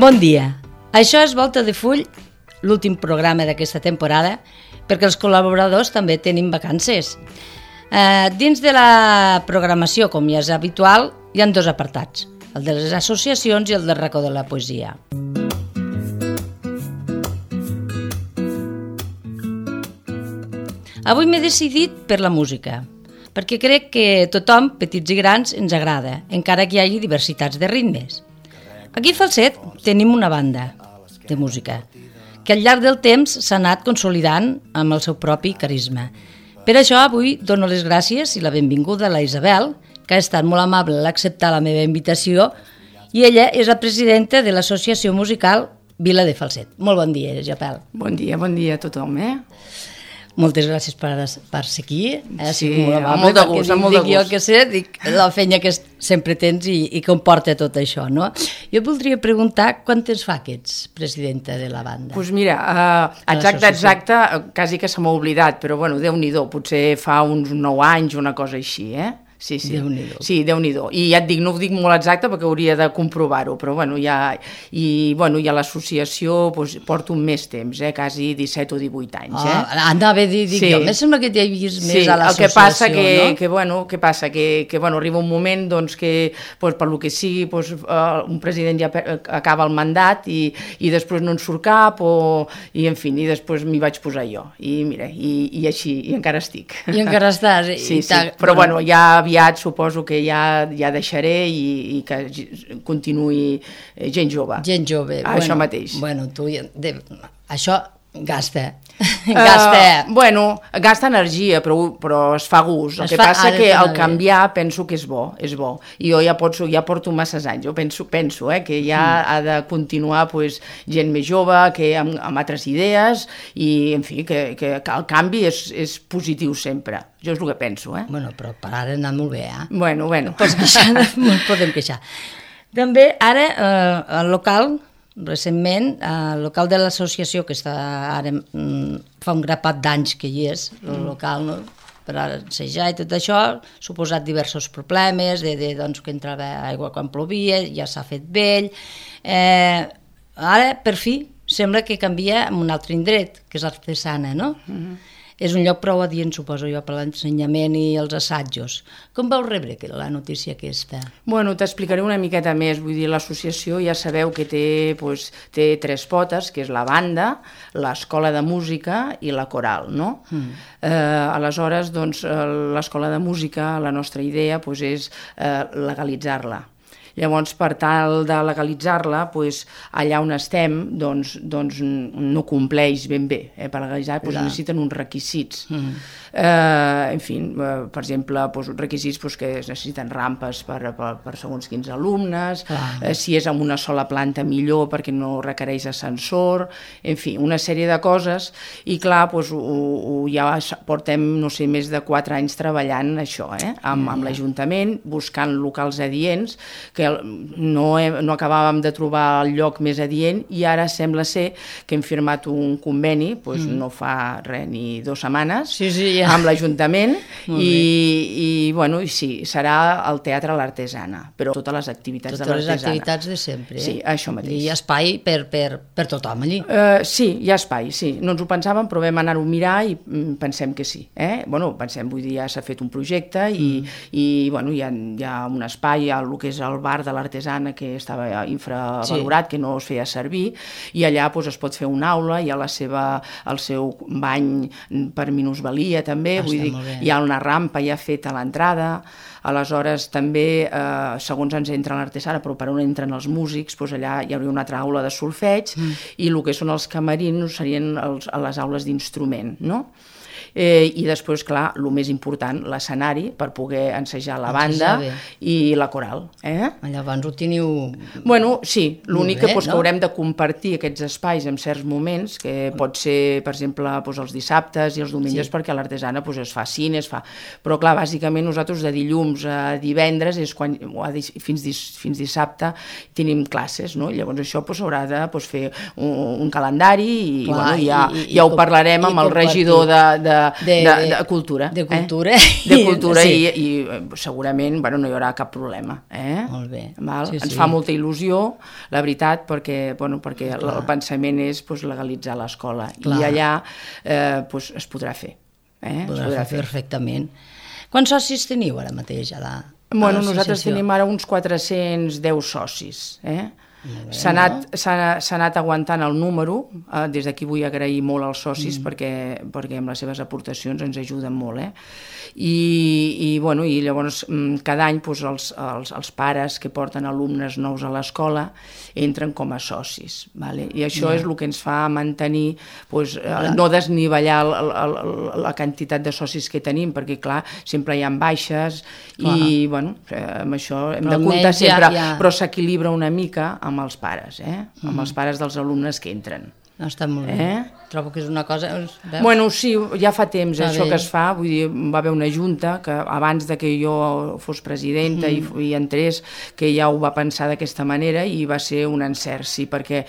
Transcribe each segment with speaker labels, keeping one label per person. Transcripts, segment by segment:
Speaker 1: Bon dia. Això és Volta de Full, l'últim programa d'aquesta temporada, perquè els col·laboradors també tenim vacances. Dins de la programació, com ja és habitual, hi ha dos apartats, el de les associacions i el del racó de la poesia. Avui m'he decidit per la música, perquè crec que tothom, petits i grans, ens agrada, encara que hi hagi diversitats de ritmes. Aquí a Falset tenim una banda de música que al llarg del temps s'ha anat consolidant amb el seu propi carisma. Per això avui dono les gràcies i la benvinguda a la Isabel, que ha estat molt amable a acceptar la meva invitació, i ella és la presidenta de l'associació musical Vila de Falset. Molt bon dia, Isabel.
Speaker 2: Bon dia a tothom,
Speaker 1: Moltes gràcies per ser aquí.
Speaker 2: Sí, molt de gust, molt de gust.
Speaker 1: Jo que sé, dic la feina que sempre tens i comporta tot això, no? Jo voldria preguntar quant temps fa que ets presidenta de la banda?
Speaker 2: Doncs mira, exacte, quasi que se m'ha oblidat, però bueno, Déu-n'hi-do, potser fa uns 9 anys, una cosa així, Sí.
Speaker 1: Déu-n'hi-do.
Speaker 2: Sí, Déu-n'hi-do. I ja et dic, no ho dic molt exacte perquè hauria de comprovar-ho, però bueno, ja a l'associació porto més temps, quasi 17 o 18 anys.
Speaker 1: Anava a dir, jo, em sembla que t'he vist més a l'associació,
Speaker 2: el que passa
Speaker 1: no?
Speaker 2: que arriba un moment doncs, que per lo que sigui un president ja acaba el mandat i després no en surt cap i en fi, i després m'hi vaig posar jo i mira, i així, i encara estic.
Speaker 1: I encara estàs.
Speaker 2: Sí, però bueno, ja aviat suposo que ja deixaré i que continuï gent jove.
Speaker 1: Gent jove.
Speaker 2: Això mateix.
Speaker 1: Bueno, tu, això gasta.
Speaker 2: Gasta energia, però es fa gust. El que passa que el canviar penso que és bo. I jo ja porto masses anys. Jo penso que ja ha de continuar gent més jove, que amb altres idees, i en fi, que el canvi és positiu sempre. Jo és el que penso,
Speaker 1: Bueno, però per ara ha anat molt bé,
Speaker 2: Bueno.
Speaker 1: No podem queixar. També, ara, el local, recentment, el local de l'associació, que està ara fa un grapat d'anys que hi és, el local, no? Per assajar i tot això, ha suposat diversos problemes, doncs, que entrava aigua quan plovia, ja s'ha fet vell. Ara, per fi, sembla que canvia en un altre indret, que és l'Artesana, no? És un lloc prou adient, suposo jo, per l'ensenyament i els assajos. Com vau rebre la notícia aquesta?
Speaker 2: Bueno, t'explicaré una miqueta més. Vull dir, l'associació ja sabeu que té 3 potes, que és la banda, l'escola de música i la coral, no? Aleshores, doncs, l'escola de música, la nostra idea és legalitzar-la. Llavors, per tal de legalitzar-la, allà on estem, doncs no compleix ben bé. Per legalitzar necessiten uns requisits. En fi, per exemple, requisits que es necessiten rampes per segons quins alumnes, si és en una sola planta millor perquè no requereix ascensor, en fi, una sèrie de coses, i clar, ja portem, no sé, més de 4 anys treballant això, amb l'Ajuntament, buscant locals adients, que no acabàvem de trobar el lloc més adient, i ara sembla ser que hem firmat un conveni, no fa res, ni 2 setmanes, amb l'Ajuntament, i sí, serà el Teatre L'Artesana, però totes les activitats de l'Artesana.
Speaker 1: Totes les activitats de sempre,
Speaker 2: Sí, això mateix.
Speaker 1: I hi ha espai per tothom allí.
Speaker 2: Sí, hi ha espai, sí. No ens ho pensàvem, però vam anar-ho a mirar i pensem que sí. Vull dir, ja s'ha fet un projecte i hi ha un espai, el que és el bar de l'Artesana, que estava infravalorat, que no es feia servir, i allà es pot fer una aula, hi ha el seu bany per minusvalia també, vull dir, hi ha una rampa ja feta a l'entrada. Aleshores també, segons ens entra l'Artesana, però per on entren els músics, allà hi hauria una altra aula de solfeig, i el que són els camerins serien les aules d'instrument, no? I després, clar, el més important, l'escenari, per poder ensejar la banda i la coral.
Speaker 1: Llavors ho teniu...
Speaker 2: Bueno, sí, l'únic que haurem de compartir aquests espais en certs moments, que pot ser, per exemple, els dissabtes i els diumenges, perquè a l'Artesana es fa cine, però clar, bàsicament nosaltres de dilluns a divendres, fins dissabte, tenim classes, no? Llavors això s'haurà de fer un calendari i ja ho parlarem amb el regidor de de cultura.
Speaker 1: De cultura.
Speaker 2: De cultura i segurament no hi haurà cap problema.
Speaker 1: Molt bé.
Speaker 2: Ens fa molta il·lusió, la veritat, perquè el pensament és legalitzar l'escola i allà es podrà fer.
Speaker 1: Podrà fer perfectament. Quants socis teniu ara mateix a
Speaker 2: nosaltres tenim ara uns 410 socis. S'ha anat aguantant el número. Des d'aquí vull agrair molt als socis perquè amb les seves aportacions ens ajuden molt. I llavors cada any els pares que porten alumnes nous a l'escola entren com a socis. I això és el que ens fa mantenir, no desnivellar la quantitat de socis que tenim, perquè clar, sempre hi ha baixes i amb això hem de comptar sempre, però s'equilibra una mica amb els pares, amb els pares dels alumnes que entren.
Speaker 1: Està molt bé. Trobo que és una cosa...
Speaker 2: Sí, ja fa temps això que es fa, vull dir, va haver una junta que abans de que jo fos presidenta i entrés, que ja ho va pensar d'aquesta manera i va ser un encert, sí, perquè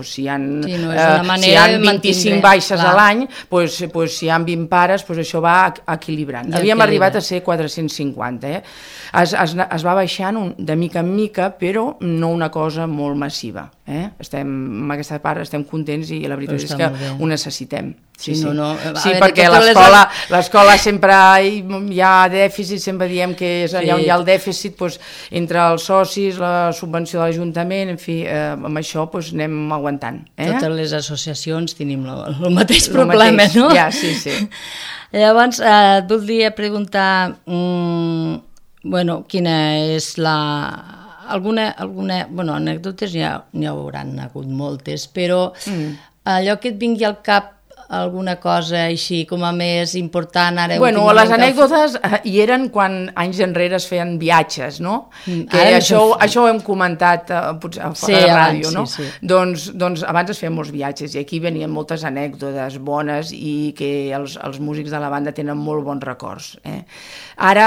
Speaker 2: si hi ha 25 baixes a l'any, si hi ha 20 pares, això va equilibrant. Havíem arribat a ser 450, es va baixant de mica en mica, però no una cosa molt massiva. Amb aquesta part estem contents i la veritat és que ho necessitem. Sí, perquè l'escola sempre hi ha dèficit, sempre diem que és allà on hi ha el dèficit, entre els socis, la subvenció de l'Ajuntament, en fi, amb això anem aguantant.
Speaker 1: Totes les associacions tenim el mateix problema, no?
Speaker 2: Ja, sí.
Speaker 1: Llavors, et voldria preguntar, quina és anècdotes n'hi hauran hagut moltes, però allò que et vingui al cap alguna cosa així com a més important ara...
Speaker 2: Les anècdotes hi eren quan anys enrere es feien viatges, no? Que això ho hem comentat potser a fora de ràdio, no? Doncs abans es feien molts viatges i aquí venien moltes anècdotes bones i que els músics de la banda tenen molt bons records. Ara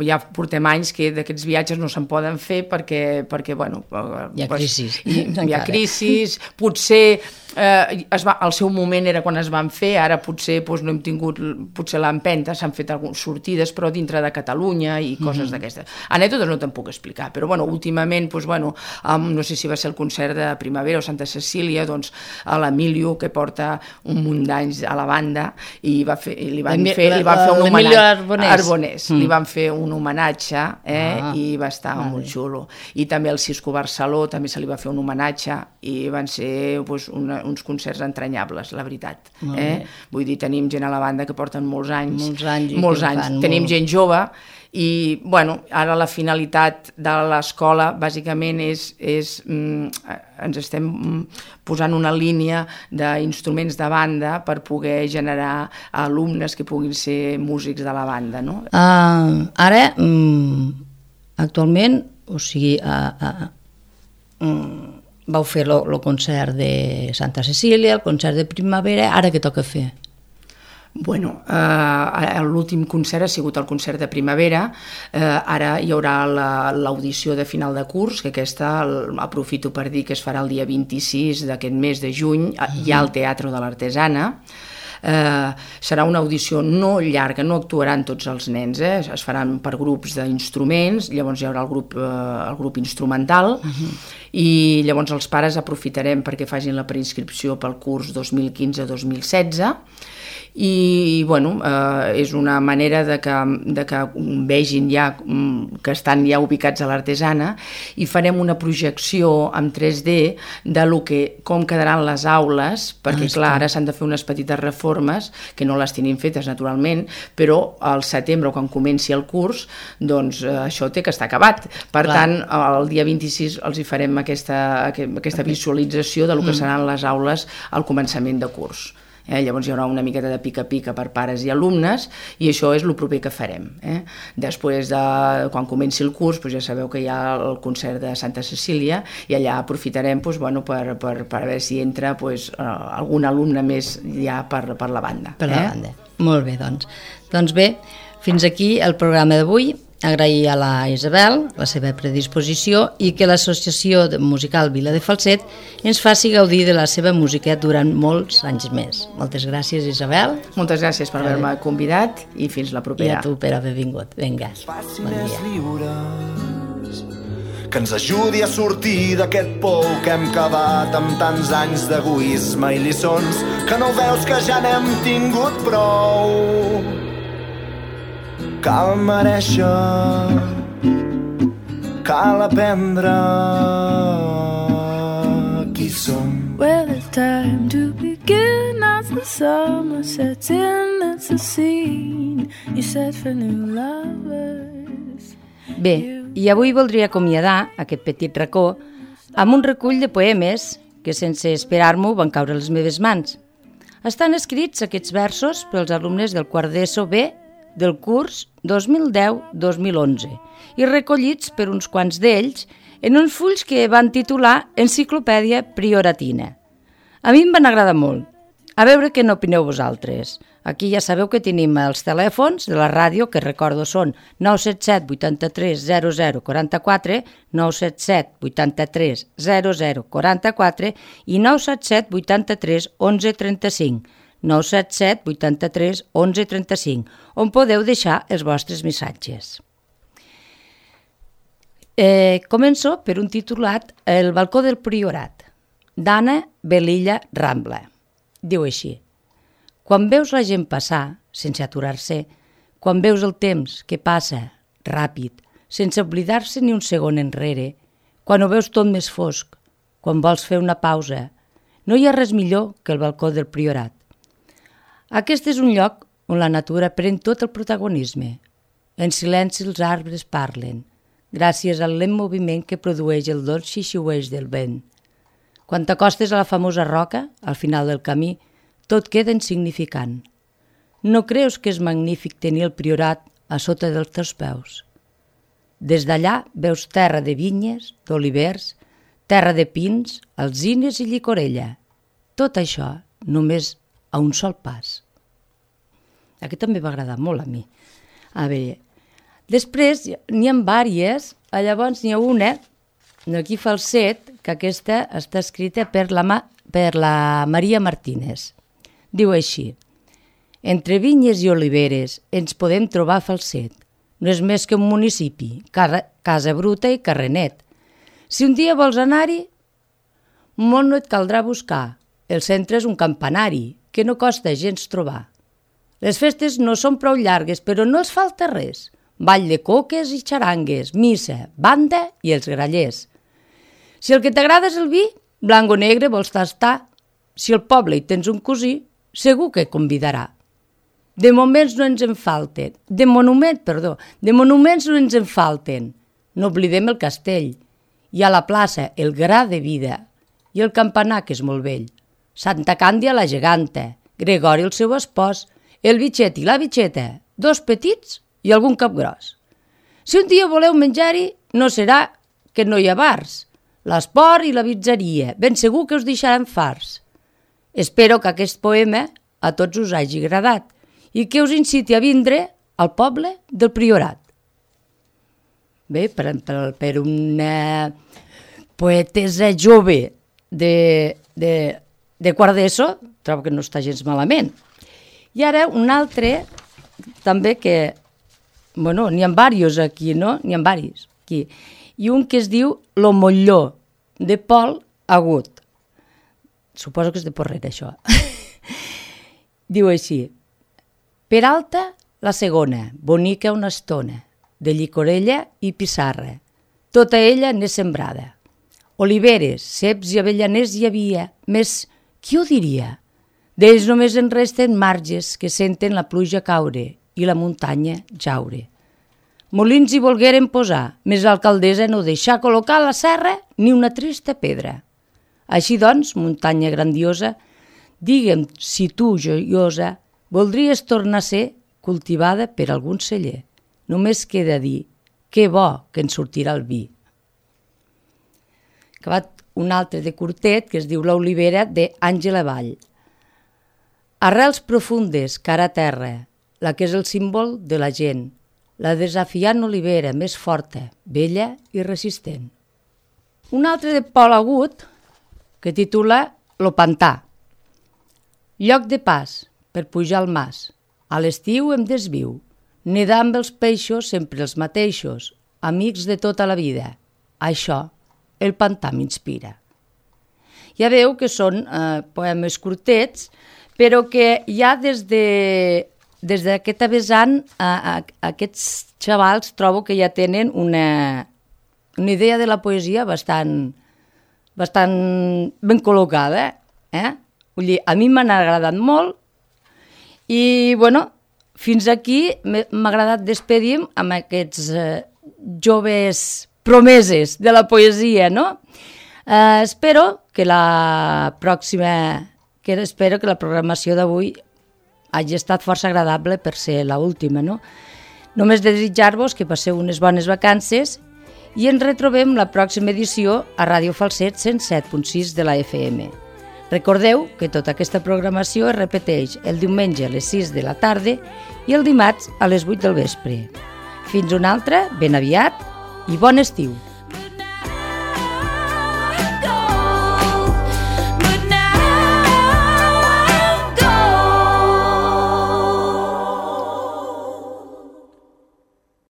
Speaker 2: ja portem anys que d'aquests viatges no se'n poden fer perquè
Speaker 1: hi ha crisis.
Speaker 2: Hi ha crisis, potser el seu moment era quan es van fer, ara potser no hem tingut l'empenta, s'han fet algunes sortides però dintre de Catalunya i coses d'aquestes. Anècdotes no te'n puc explicar, però últimament no sé si va ser el concert de Primavera o Santa Cecília, doncs a l'Emilio, que porta un munt d'anys a la banda, i li van fer un homenatge a Arbonés, li van fer un homenatge i va estar molt xulo, i també al Cisco Barceló també se li va fer un homenatge i van ser uns concerts entranyables, la veritat. Vull dir, tenim gent a la banda que porten molts anys, tenim gent jove i, ara la finalitat de l'escola bàsicament és ens estem posant una línia d'instruments de banda per poder generar alumnes que puguin ser músics de la banda, no?
Speaker 1: Ara, actualment, o sigui, vau fer el concert de Santa Cecília, el concert de Primavera, ara què toca fer?
Speaker 2: L'últim concert ha sigut el concert de Primavera, ara hi haurà l'audició de final de curs, que aquesta aprofito per dir que es farà el dia 26 d'aquest mes de juny, hi ha al Teatre de l'Artesana. Serà una audició no llarga, no actuaran tots els nens, es faran per grups d'instruments, llavors hi haurà el grup instrumental i llavors els pares aprofitarem perquè facin la preinscripció pel curs 2015-2016 i és una manera de que vegin ja que estan ja ubicats a l'Artesana i farem una projecció en 3D de com quedaran les aules, perquè clar, ara s'han de fer unes petites reformes que no les tenim fetes naturalment, però al setembre, quan comenci el curs, doncs això té que estar acabat. Per tant, el dia 26 els hi farem aquesta visualització de lo que seran les aules al començament de curs. Llavors hi haurà una miqueta de pica-pica per pares i alumnes i això és el proper que farem. Després, quan comenci el curs, ja sabeu que hi ha el concert de Santa Cecília i allà aprofitarem per veure si entra algun alumne més ja per la banda.
Speaker 1: Per la banda. Molt bé, doncs. Doncs bé, fins aquí el programa d'avui agrair a la Isabel la seva predisposició i que l'Associació Musical Vila de Falset ens faci gaudir de la seva música durant molts anys més. Moltes gràcies, Isabel.
Speaker 2: Moltes gràcies per haver-me convidat i fins la propera.
Speaker 1: I a tu per haver vingut. Vinga, bon dia.
Speaker 3: Que ens ajudi a sortir d'aquest pou que hem cavat amb tants anys d'egoisme i lliçons, que no veus que ja n'hem tingut prou. Cal merèixer, cal aprendre qui som.
Speaker 4: Well, it's time to begin as the summer sets in. It's a scene you set for new lovers.
Speaker 1: Bé, i avui voldria acomiadar aquest petit racó amb un recull de poemes que sense esperar-m'ho van caure a les meves mans. Estan escrits aquests versos pels alumnes del quart d'ESO B del curs 2010-2011 i recollits per uns quants d'ells en uns fulls que van titular Enciclopèdia Prioratina. A mi em van agradar molt. A veure què n'opineu vosaltres. Aquí ja sabeu que tenim els telèfons de la ràdio, que recordo són 977 83 00 44, 977 83 00 44 i 977 83 11 35, 977 83 11 35, on podeu deixar els vostres missatges. Començo per un titulat El balcó del Priorat, d'Anna Belilla Rambla. Diu així: quan veus la gent passar, sense aturar-se, quan veus el temps que passa ràpid, sense oblidar-se ni un segon enrere, quan ho veus tot més fosc, quan vols fer una pausa, no hi ha res millor que el balcó del Priorat. Aquest és un lloc on la natura pren tot el protagonisme. En silenci els arbres parlen, gràcies al lent moviment que produeix el dolç xixiueig del vent. Quan t'acostes a la famosa roca, al final del camí, tot queda insignificant. No creus que és magnífic tenir el Priorat a sota dels teus peus? Des d'allà veus terra de vinyes, d'olivers, terra de pins, alzines i llicorella. Tot això només a un sol pas. Aquest també va agradar molt a mi. A veure, després n'hi ha vàries, llavors n'hi ha una, aquí Falset, que aquesta està escrita per la Maria Martínez. Diu així: entre vinyes i oliveres ens podem trobar a Falset. No és més que un municipi, casa bruta i carrer net. Si un dia vols anar-hi, molt no et caldrà buscar. El centre és un campanari, que no costa gens trobar. Les festes no són prou llargues, però no els falta res. Ball de coques i xarangues, missa, banda i els grallers. Si el que t'agrada és el vi, blanc o negre vols tastar. Si al poble hi tens un cosí, segur que convidarà. De monuments no ens en falten. De monuments no ens en falten. No oblidem el castell. Hi ha la plaça, el gra de vida, i el campanar, que és molt vell. Santa Càndia la geganta, Gregori el seu espòs, el bitxet i la bitxeta, dos petits i algun capgros. Si un dia voleu menjar-hi, no serà que no hi ha bars. L'esport i la pizzeria, ben segur que us deixaran farts. Espero que aquest poema a tots us hagi agradat i que us inciti a vindre al poble del Priorat. Bé, per una poetesa jove de quart d'ESO, trobo que no està gens malament. I ara un altre, també que, bueno, n'hi ha diversos aquí, no? N'hi ha diversos aquí. I un que es diu Lo Molló, de Pol Agut. Suposo que és de Porrera, això. Diu així: Peralta, la segona, bonica una estona, de llicorella i pissarra, tota ella n'és sembrada. Oliveres, ceps i avellaners hi havia, més, qui ho diria? D'ells només en resten marges que senten la pluja caure i la muntanya jaure. Molins hi volgueren posar, més l'alcaldessa no deixà col·locar a la serra ni una trista pedra. Així doncs, muntanya grandiosa, digue'm si tu, joiosa, voldries tornar a ser cultivada per algun celler. Només queda dir, que bo que en sortirà el vi. Acabat un altre de curtet que es diu L'olivera d'Àngela Vall. Arrels profundes, cara a terra, la que és el símbol de la gent. la desafiant olivera més forta, vella i resistent. Un altre de Pol Agut que titula Lo pantà. Lloc de pas per pujar al mas. A l'estiu em desviu. Nedar amb els peixos sempre els mateixos, amics de tota la vida. Això, el pantà m'inspira. Ja veu que són poemes curtets, però que ja des d'aquest vessant aquests xavals trobo que ja tenen una idea de la poesia bastant ben col·locada. Vull dir, a mi m'han agradat molt i, bueno, fins aquí m'ha agradat despedir amb aquests joves promeses de la poesia, no? Espero que la programació d'avui hagi estat força agradable per ser l'última, no? Només desitjar-vos que passeu unes bones vacances i ens retrobem la pròxima edició a Ràdio Falset 107.6 de la FM. Recordeu que tota aquesta programació es repeteix el diumenge a les 6 de la tarda i el dimarts a les 8 del vespre. Fins una altra, ben aviat i bon estiu!